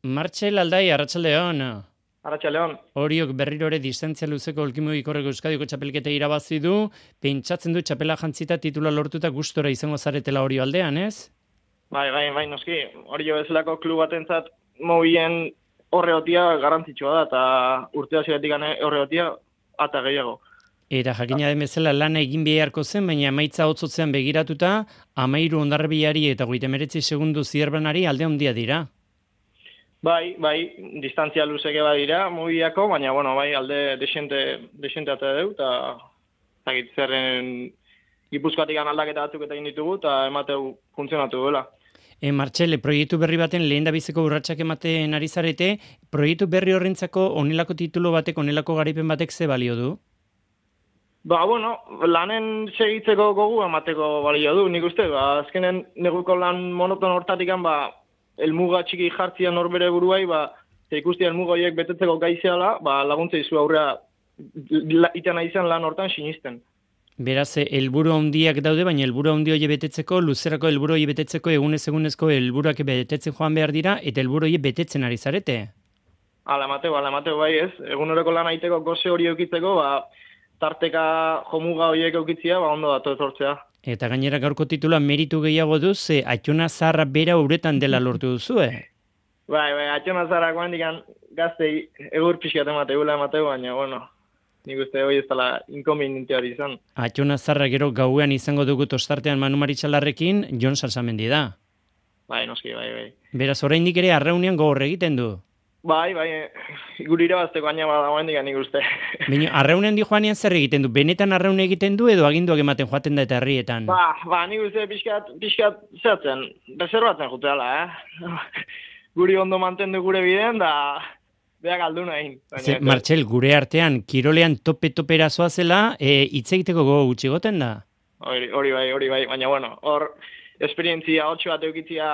Martxel Aldai, arratsaldeon. Arratsaldeon. Oriok berrirore distantzia luzeko olkimogikorreko Euskadiko txapelketa irabazi du, pentsatzen du txapela jantzita titula lortuta gustora izango zaretela Orio aldean, ez? Bai, noski. Orio bezalako klub batentzat mobien horreotia garrantzitsua da, eta urte hasieratik horreotia ata gehiago. Eta jakina den bezala lana egin beharko zen, baina emaitza hotzotzean begiratuta, 13 hondarribiari eta 39 segundu zierbanari alde handia dira. Bai, distantzia luzeke badira mobiako, baina bai alde desente ate deu, eta zerren Gipuzkoatik aldaketa batzuk eta egin ditugu, eta emateu funtzionatu duela. Martxel, proiektu berri baten lehen da biziko urratsak ematen ari zarete, proiektu berri horrentzako onelako titulu batek, onelako garaipen batek ze balio du? Lanen segitzeko gogu emateko balio du, nik uste, azkenen neguko lan monoton hortatikan, elmuga txiki jartzia norbere buruai, ikustia elmuga horiek betetzeko gaizeala, laguntza izu aurrea itena izan lan hortan sinisten. Beraz, helburu handiak daude, baina helburu handi hori betetzeko, luzerako helburu hori betetzeko, egunezko helburuak betetzen joan behar dira, eta helburu hori betetzen ari zarete? Ala emateu bai ez. Eguneroko lan aiteko goze hori eukitzeko, tarteka jomuga horiek eukitzia, ondo datu etortzea. Eta gainera gaurko titula meritu gehiago duz, Aitzona Zaharra bera uretan dela lortu duzu, Bai, Aitzona Zaharrak guandikan gaztei egur pixkat emateu, baina, nik uste hori ez dela inkonveniente hori izan. Aitzona Zaharra gero gauean izango dugu tostartean Manu Maritxalarrekin, Jon Salsamendi da. Bai, noski, bai. Beraz, oraindik ere arraunean gogor egiten du. Bai, guri irabazteko baina badagoen digan nik uste. Baina, arraunean di joanean zer egiten du? Benetan arraun egiten du edo aginduak ematen joaten da eta herrietan? Nik uste pixkat zehatzen, reservatzen juteala, Guri ondo mantendu gure bideen, da beak aldu nahi. Martxel, gure artean, kirolean tope-topera zoazela, hitz egiteko gogo gutxi goten da? Hori bai, baina hor esperientzia 8 bat eukitzia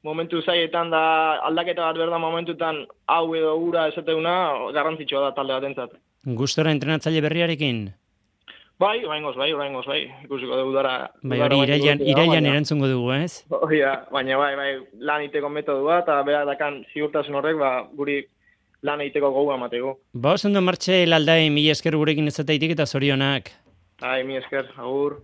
momentu zaietan da aldaketa bat berda momentutan hau edo ura esateuna garrantzitsua da talde batentzat. Gustora entrenatzaile berriarekin? Bai, ikusiko dugu dara. Hori irailan erantzungo dugu, ez? Baina bai, lan egiteko metodua eta berak dakan ziurtasun horrek, guri lan egiteko gogoa emateko. Oso ondo Martxel Aldai, mila esker gurekin ezateitik eta zorionak. Mila esker, agur.